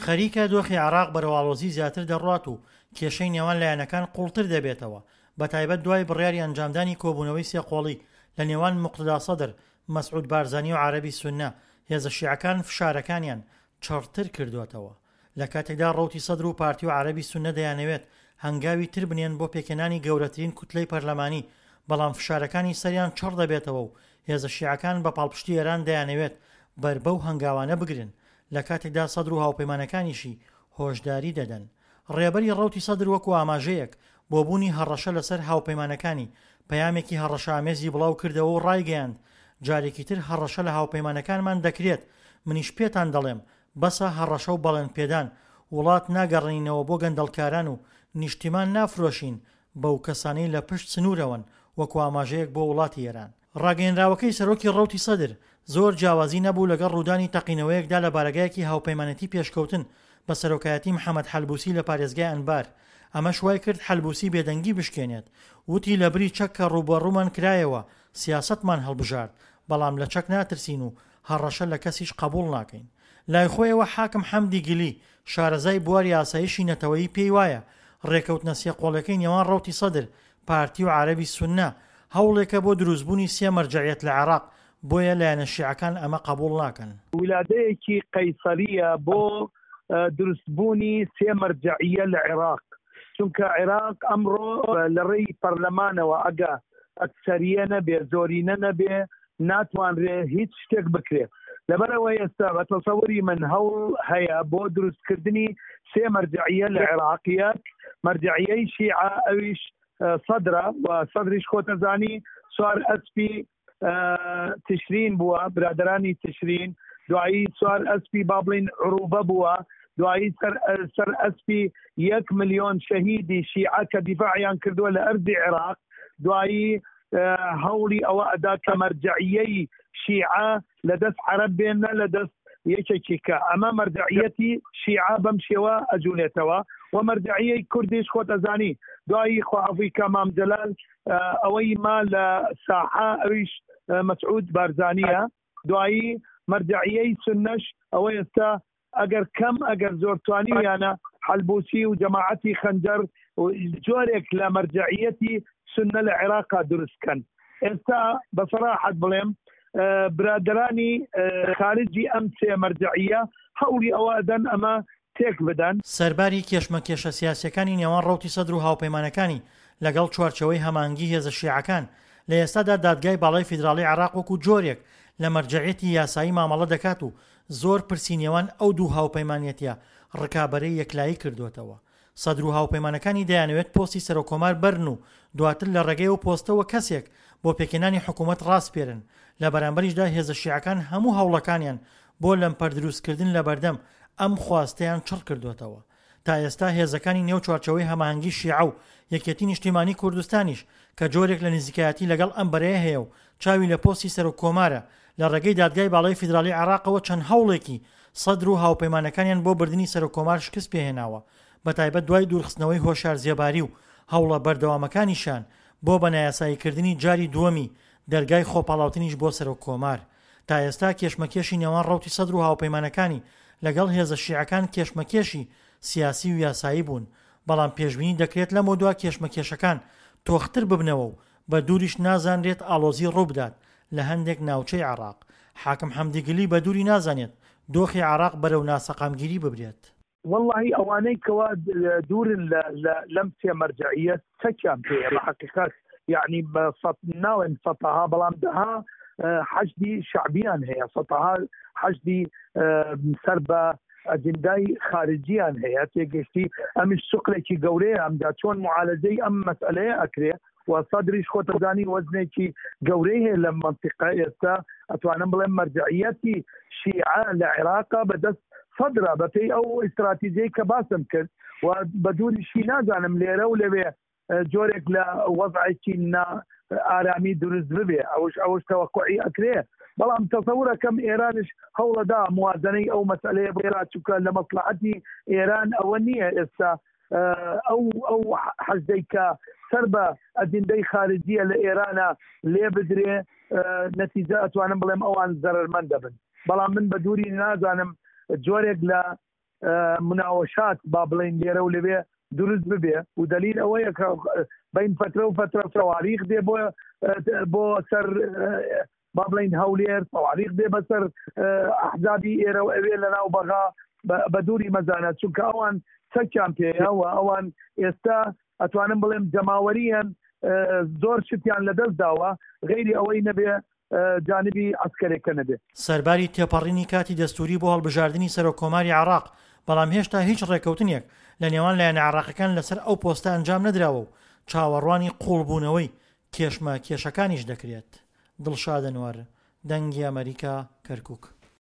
خەریکە دۆخی عێراق بەرەو ئاڵۆزی زیاتر دەڕوات و کێشەی نێوان لایەنەکان قوڵتر دەبێتەوە، بەتایبەت دوای بڕیاری ئەنجامدانی کۆبوونەوەی سێقۆڵی لە نێوان موقتەدا سەدر، مەسعود بارزانی و عەرەبی سوننە، هێزە شیعەکان فشارەکانیان چڕتر کردۆتەوە. لە کاتێکدا ڕەوتی سەدر و پارتی و عەرەبی سوننە دەیانەوێت هەنگاوی تر بنێن بۆ پێکهێنانی گەورەترین کوتلەی پەرلەمانی، بەڵام فشارەکانی سەریان چڕ دەبێتەوە و هێزە شیعەکان بە پاڵپشتی ئێران دەیانەوێت بەر بەو هەنگاوانە بگرن، لە کاتێکدا سەدر و هاوپەیمانەکانیشی هۆشداری دەدەن. ڕێبەری ڕەوتی سەدر وەکو ئاماژەیەک بۆ بوونی هەڕەشە لەسەر هاوپەیمانەکانی، پەیامێکی هەڕەشەئامێزی بڵاو کردەوە و ڕایگەیاند، جارێکی تر هەڕەشە لە هاوپەیمانەکانمان دەکرێت، منیش پێتان دەڵێم بەسە هەڕەشە و بەڵێن پێدان، وڵات ناگەڕێنینەوە بۆ گەندەڵکاران و نیشتیمان نافرۆشین بەو کەسانەی لە پشت سنوورەوەن وەکو ئاماژەیەک بۆ وڵاتی ئێران. ڕاگەیەنراوەکەی سەرۆکی ڕەوتی سەدر زۆر جیاوازی نەبوو لەگەڵ ڕوودانی تەقینەوەیەکدا لە بارەگایەکی هاوپەیمانێتی پێشکەوتن بە سەرۆکایەتی محەمەد حەلبوسی لە پارێزگای ئەنبار، ئەمەش وایکرد حەلبوسی بێدەنگی بشکێنێت، وتی لەبری چەک کە ڕووبەڕوومان کرایەوە سیاسەتمان هەڵبژارد، بەڵام لە چەک ناترسین و هەڕەشە لە کەسیش قەبوڵ ناکەین. لای خۆیەوە حاکم حەمدی گلی، شارەزای بواری ئاسایشی نەتەوەیی پێی وایە، ڕێکەوتنە سێقۆڵیەکەی نێوان ڕەوتی سەدر، پارتی و عەرەبی سوننە، هەوڵێکە بۆ دروستبوونی سێ مەرجەعیەت لە عێراق، بۆیە لایەنە شیعەکان ئەمە قەبوڵ ناکەن. ولادەیەکی قەیسەرییە بۆ دروستبوونی سێ مەرجەعیە لە عێراق، چونکە عێراق ئەمڕۆ لە ڕێی پەرلەمانەوە ئەگە ئەکسەریە نەبێ، زۆرینە نەبێ، ناتوانرێ هیچ شتێک بکرێ. لەبەرئەوە ئێستا بە تەسەوری من هەوڵ هەیە بۆ دروستکردنی سێ مەرجەعیە لە عێراق، یەک مەرجەعیەی شیعە ئەویش سەدرە و سەدریش خۆتەزانی سوار ئەسپی تشرین بووە، برادەرانی تشرین، دوایی سوار ئەسپی با بڵین عروبە بووە، دوایی سەر سەر ئەسپی یەک ملیۆن شەهیدی شیعە کە دیفاعیان کردووە لە ئەرزی عێراق، دوایی هەوڵی ئەوە ئەدا کە مەرجەعیەی شیعە لە دەست عەرەب بێ نە لە دەست یەکێکی کە ئەمە مەرجەعیەتی شیعە بەم شێوە ئەجولێتەوە و مەرجەعیەی کوردیش خۆت ئەزانی دوایی خوا عەفوی کە مام جەلال ئەوەی ما لە ساحە ئەویش مەسعود بارزانیە دوایی مەرجەعیەی سوننەش ئەوە ئێستا ئەگەر کەم ئەگەر زۆر توانیویانە حەلبوسی و جەماعەتی خەنجەر و جۆرێک لە مەرجەعیەتی سوننە لە عێراقا دروست کەن. ئێستا بە سەراحەت بڵێم برادەرانی خارجی ئەم سێ مەرجەعیە هەوڵی ئەوە ئەدەن ئەمە تێک بدەن. سەرباری کێشمەکێشە سیاسیەکانی نێوان ڕەوتی سەدر و هاوپەیمانەکانی لەگەڵ چوارچێوەی هەماهەنگی هێزە شیعەکان، لە ئێستادا دادگای باڵای فیدراڵی عێراق وەکو جۆرێک لە مەرجەعیەتی یاسایی مامەڵە دەکات و زۆر پرسی نێوان ئەو دوو هاوپەیمانیەتیە ڕکابەرەی یەکلایی کردۆتەوە. سەدر و هاوپەیمانەکانی دەیانەوێت پۆستی سەرۆککۆمار بەرن و دواتر لە ڕێگەی ئەو پۆستەوە کەسێک بۆ پێکهێنانی حکوومەت ڕاسپێرن، لە بەرامبەریشدا هێزە شیعەکان هەموو هەوڵەکانیان بۆ لەمپەر دروستکردن لەبەردەم ئەم خواستەیان چڕ کردۆتەوە. تا ئێستا هێزەکانی نێو چوارچێوەی هەماهەنگی شیعە و یەکێتی نیشتیمانی کوردستانیش کە جۆرێک لە نزیکایەتی لەگەڵ ئەم بەرەیە هەیە و چاوی لە پۆستی سەرۆک کۆمارە لە ڕێگەی دادگای باڵای فیدراڵی عێراقەوە چەند هەوڵێکی سەدر و هاوپەیمانەکانیان بۆ بردنی سەرۆک کۆمار شکست پێهێناوە بەتایبەت دوای دوورخستنەوەی هۆشیار زێباری و هەوڵە بەردەوامەکانیشیان بۆ بە نایاساییکردنی جاری دووەمی دەرگای خۆپاڵاوتنیش بۆ سەرۆک کۆمار. تا ئێستا کێشمەکێشی نێوان ڕەوتی سەدر و هاوپەیمانەکانی لەگەڵ هێزە شیعەکان کێشمەکێشی سیاسی و یاسایی بوون، بەڵام پێشبینی دەکرێت لەمەودوا کێشمەکێشەکان تۆختر ببنەوە و بە دووریش نازانرێت ئاڵۆزی ڕووبدات لە هەندێک ناوچەی عێراق. حاکم حەمدی گلی بە دووری نازانێت دۆخی عێراق بەرەو ناسەقامگیری ببرێت. وەڵاهی ئەوانەی کەوا دوورن لە لە لەم سێ مەرجەعیە چەکیان پێیە بە حەقیقەت یعنی بە سەد ناڵێم سەتەها بەڵام دەها حەشدی شەعبیان هەیە سەتەها حەشدی سەر بە ئەجندای خارجیان هەیە تێگەشتی ئەمیش سوقلێکی گەورەیە ئەمجا چۆن معالەجەی ئەم مەسئلەیە ئەکرێ و سەدریش خۆتەزانی وەزنێکی گەورەی هەیە لەم مەنتیقە ئێستا ئەتوانم بڵێم مەرجەعیەتی شیعە لە عێراقا بەدەست سەدرە بەپێی ئەو ئیستراتیجەی کە باسم کرد و بە دووریشی نازانم لێرە و لەوێ جۆرێک لە وەزعێکی نا ئارامی دروست ببێ ئەوش ئەوش تەوەقعی ئەکرێ بەڵام تەسەورەکەم ئێرانش هەوڵەدا موازنەی ئەو مەسئلەیە بکات چونکە لە مەسلحەتی ئێران ئەوە نییە ئێستا ئەو ئەو حەشدەی کە سەر بە ئەجندەی خارجیە لە ئێرانە لێ بدرێ نەتیجە ئەتوانم بڵێم ئەوان زەرەرمەند دەبن بەڵام من بە دووری نازانم جۆرێک لە. مناوەشات با بڵێین لێرە و لەوێ دروست ببێ و دەلیل ئەوەیە کە بین فترە و فترە سەواریخ دێ بۆ بۆ سەر با بڵین هەولێر سەواریخ دێ بەسەر ئەحزابی ئێرە و ئەوێ لە ناو بەغا بە دووری مەزانە چونکە ئەوان چەکیان پێیە و ئەوان ئێستا ئەتوانم بڵێم جەماوەریان زۆر شتیان لەدەست داوە غەیری ئەوەی نەبێ جانبی عەسکەرێکە نەبێ. سەرباری تێپەڕینی کاتی دەستووری بۆ هەڵبژاردنی سەرۆک کۆماری عێراق، بەڵام هێشتا هیچ ڕێککەوتنێک لە نێوان لایەنە عێراقیەکان لەسەر ئەو پۆستە ئەنجام نەدراوە و چاوەڕوانی قووڵبوونەوەی کێشمە کێشەکانیش دەکرێت. دڵشاد ئەنوەر، دەنگی ئەمەریکا، کەرکوک.